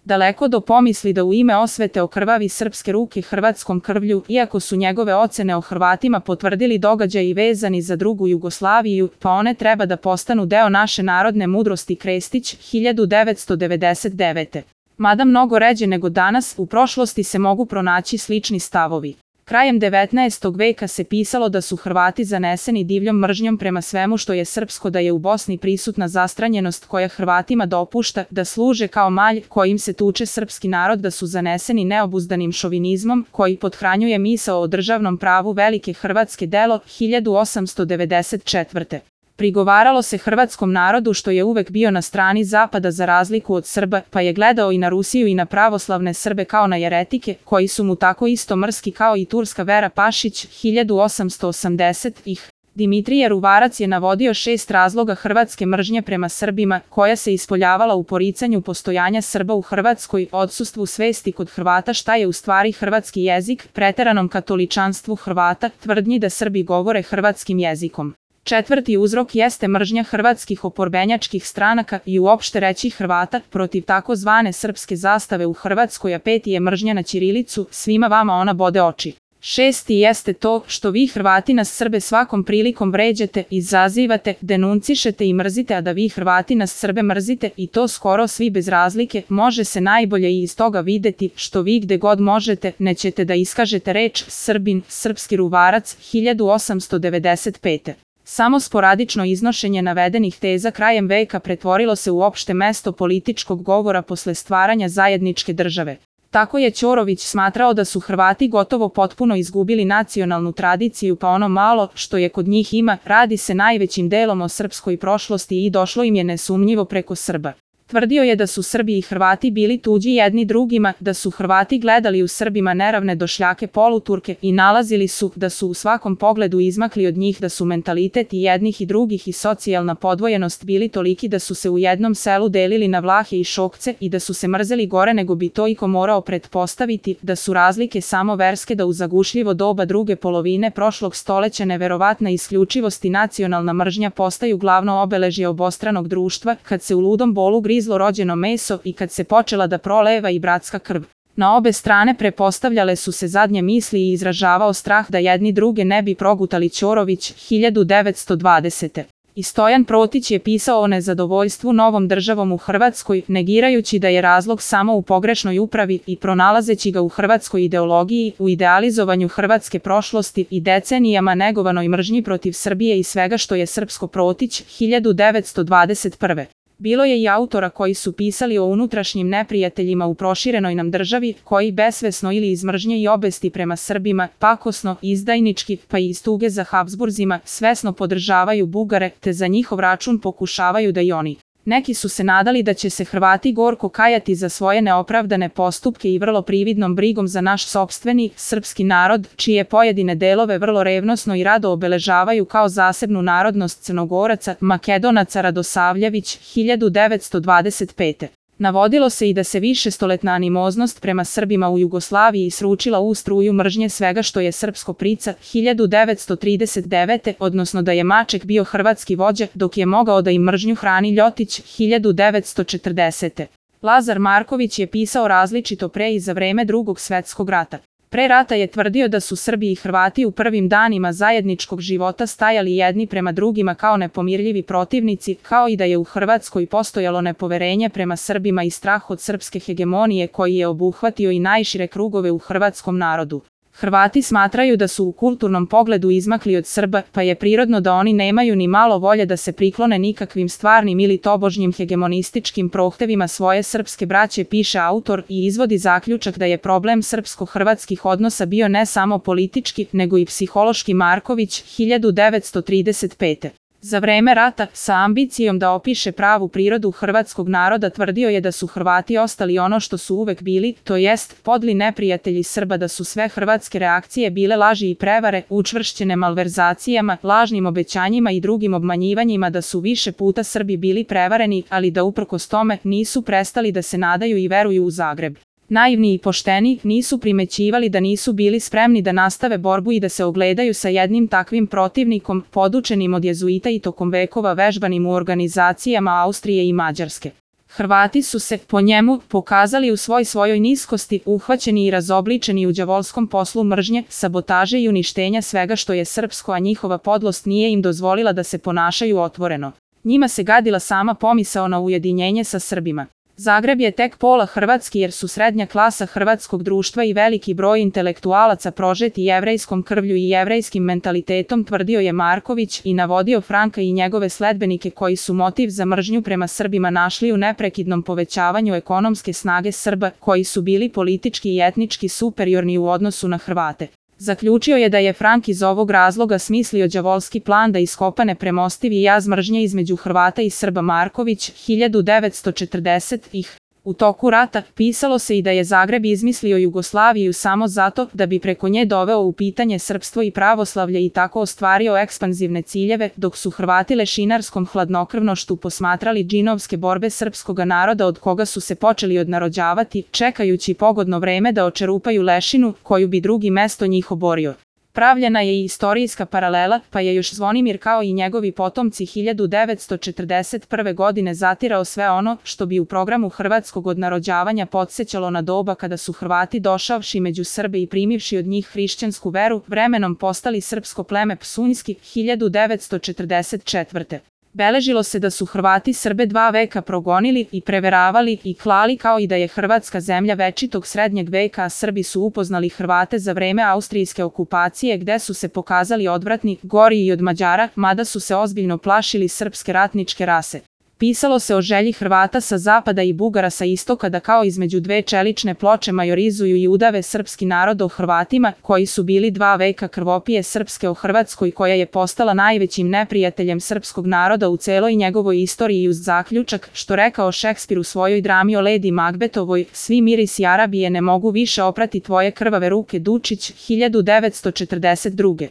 Daleko do pomisli da u ime osvete okrvavi srpske ruke hrvatskom krvlju, iako su njegove ocene o Hrvatima potvrdili događaji vezani za drugu Jugoslaviju, pa one treba da postanu deo naše narodne mudrosti. Krestić, 1999. Mada mnogo ređe nego danas, u prošlosti se mogu pronaći slični stavovi. Krajem 19. veka se pisalo da su Hrvati zaneseni divljom mržnjom prema svemu što je srpsko, da je u Bosni prisutna zastranjenost koja Hrvatima dopušta da služe kao malj kojim se tuče srpski narod, da su zaneseni neobuzdanim šovinizmom koji pothranjuje misao o državnom pravu velike Hrvatske. Delo, 1894. Prigovaralo se hrvatskom narodu što je uvek bio na strani Zapada za razliku od Srba, pa je gledao i na Rusiju i na pravoslavne Srbe kao na jeretike, koji su mu tako isto mrski kao i turska vera. Pašić, 1880. Dimitrije Ruvarac je navodio 6 razloga hrvatske mržnje prema Srbima, koja se ispoljavala u poricanju postojanja Srba u Hrvatskoj, odsustvu svesti kod Hrvata šta je u stvari hrvatski jezik, preteranom katoličanstvu Hrvata, tvrdnji da Srbi govore hrvatskim jezikom. 4. uzrok jeste mržnja hrvatskih oporbenjačkih stranaka i uopšte reći Hrvata protiv takozvane srpske zastave u Hrvatskoj, a 5. je mržnja na ćirilicu, svima vama ona bode oči. 6. jeste to što vi Hrvati nas Srbe svakom prilikom vređate, izazivate, denuncišete i mrzite, a da vi Hrvati nas Srbe mrzite i to skoro svi bez razlike, može se najbolje i iz toga videti što vi gde god možete nećete da iskažete reč Srbin, srpski. Ruvarac, 1895. Samo sporadično iznošenje navedenih teza krajem veka pretvorilo se u opšte mesto političkog govora posle stvaranja zajedničke države. Tako je Ćorović smatrao da su Hrvati gotovo potpuno izgubili nacionalnu tradiciju, pa ono malo što je kod njih ima, radi se najvećim delom o srpskoj prošlosti i došlo im je nesumnjivo preko Srba. Tvrdio je da su Srbi i Hrvati bili tuđi jedni drugima, da su Hrvati gledali u Srbima neravne došljake poluturke i nalazili su da su u svakom pogledu izmakli od njih, da su mentalitet i jednih i drugih i socijalna podvojenost bili toliki da su se u jednom selu delili na Vlahe i Šokce i da su se mrzeli gore nego bi to iko morao pretpostaviti, da su razlike samo verske, da u zagušljivo doba druge polovine prošlog stoleća neverovatna isključivost i nacionalna mržnja postaju glavno obeležje obostranog društva, kad se u ludom bolu grizlo rođeno meso i kad se počela da proleva i bratska krv. Na obe strane prepostavljale su se zadnje misli i izražavao strah da jedni druge ne bi progutali. Ćorović, 1920. I Stojan Protić je pisao o nezadovoljstvu novom državom u Hrvatskoj, negirajući da je razlog samo u pogrešnoj upravi i pronalazeći ga u hrvatskoj ideologiji, u idealizovanju hrvatske prošlosti i decenijama negovanoj mržnji protiv Srbije i svega što je srpsko. Protić, 1921. Bilo je i autora koji su pisali o unutrašnjim neprijateljima u proširenoj nam državi, koji besvesno ili iz mržnje i obesti prema Srbima, pakosno, izdajnički, pa i iz tuge za Habsburzima, svesno podržavaju Bugare, te za njihov račun pokušavaju da i oni. Neki su se nadali da će se Hrvati gorko kajati za svoje neopravdane postupke i vrlo prividnom brigom za naš sopstveni, srpski narod, čije pojedine delove vrlo revnosno i rado obeležavaju kao zasebnu narodnost Crnogoraca, Makedonaca. Radosavljević, 1925. Navodilo se i da se višestoletna animoznost prema Srbima u Jugoslaviji sručila u struju mržnje svega što je srpsko. Prica, 1939. odnosno da je Maček bio hrvatski vođa, dok je mogao da im mržnju hrani Ljotić, 1940. Lazar Marković je pisao različito pre i za vreme Drugog svetskog rata. Pre rata je tvrdio da su Srbi i Hrvati u prvim danima zajedničkog života stajali jedni prema drugima kao nepomirljivi protivnici, kao i da je u Hrvatskoj postojalo nepoverenje prema Srbima i strah od srpske hegemonije koji je obuhvatio i najšire krugove u hrvatskom narodu. Hrvati smatraju da su u kulturnom pogledu izmakli od Srba, pa je prirodno da oni nemaju ni malo volje da se priklone nikakvim stvarnim ili tobožnjim hegemonističkim prohtevima svoje srpske braće, piše autor i izvodi zaključak da je problem srpsko-hrvatskih odnosa bio ne samo politički, nego i psihološki. Marković, 1935. Za vreme rata, sa ambicijom da opiše pravu prirodu hrvatskog naroda, tvrdio je da su Hrvati ostali ono što su uvek bili, to jest podli neprijatelji Srba, da su sve hrvatske reakcije bile laži i prevare, učvršćene malverzacijama, lažnim obećanjima i drugim obmanjivanjima, da su više puta Srbi bili prevareni, ali da uprkos tome nisu prestali da se nadaju i veruju u Zagreb. Naivni i pošteni, nisu primećivali da nisu bili spremni da nastave borbu i da se ogledaju sa jednim takvim protivnikom, podučenim od jezuita i tokom vekova vežbanim u organizacijama Austrije i Mađarske. Hrvati su se, po njemu, pokazali u svojoj niskosti, uhvaćeni i razobličeni u đavolskom poslu mržnje, sabotaže i uništenja svega što je srpsko, a njihova podlost nije im dozvolila da se ponašaju otvoreno. Njima se gadila sama pomisao na ujedinjenje sa Srbima. Zagreb je tek pola hrvatski jer su srednja klasa hrvatskog društva i veliki broj intelektualaca prožeti jevrejskom krvlju i jevrejskim mentalitetom, tvrdio je Marković i navodio Franka i njegove sledbenike koji su motiv za mržnju prema Srbima našli u neprekidnom povećavanju ekonomske snage Srba, koji su bili politički i etnički superiorni u odnosu na Hrvate. Zaključio je da je Frank iz ovog razloga smislio đavolski plan da iskopa nepremostivi jaz mržnje između Hrvata i Srba. Marković, 1940-ih. U toku rata pisalo se i da je Zagreb izmislio Jugoslaviju samo zato da bi preko nje doveo u pitanje srpstvo i pravoslavlje i tako ostvario ekspanzivne ciljeve, dok su Hrvati lešinarskom hladnokrvnošću posmatrali džinovske borbe srpskoga naroda od koga su se počeli odnarođavati, čekajući pogodno vreme da očerupaju lešinu koju bi drugi mesto njih oborio. Pravljena je i istorijska paralela, pa je još Zvonimir kao i njegovi potomci 1941. godine zatirao sve ono što bi u programu hrvatskog odnarođavanja podsjećalo na doba kada su Hrvati došavši među Srbe i primivši od njih hrišćansku veru, vremenom postali srpsko pleme Psunjski, 1944. Beležilo se da su Hrvati Srbe 2 veka progonili i preveravali i klali, kao i da je Hrvatska zemlja večitog srednjeg veka, a Srbi su upoznali Hrvate za vreme austrijske okupacije gde su se pokazali odvratni, gori i od Mađara, mada su se ozbiljno plašili srpske ratničke rase. Pisalo se o želji Hrvata sa zapada i Bugara sa istoka da kao između dve čelične ploče majorizuju i udave srpski narod o Hrvatima, koji su bili 2 veka krvopije srpske o Hrvatskoj, koja je postala najvećim neprijateljem srpskog naroda u celoj njegovoj istoriji, uz zaključak, što rekao Šekspir u svojoj drami o Lady Macbethovoj, svi mirisi Arabije ne mogu više oprati tvoje krvave ruke. Dučić, 1942.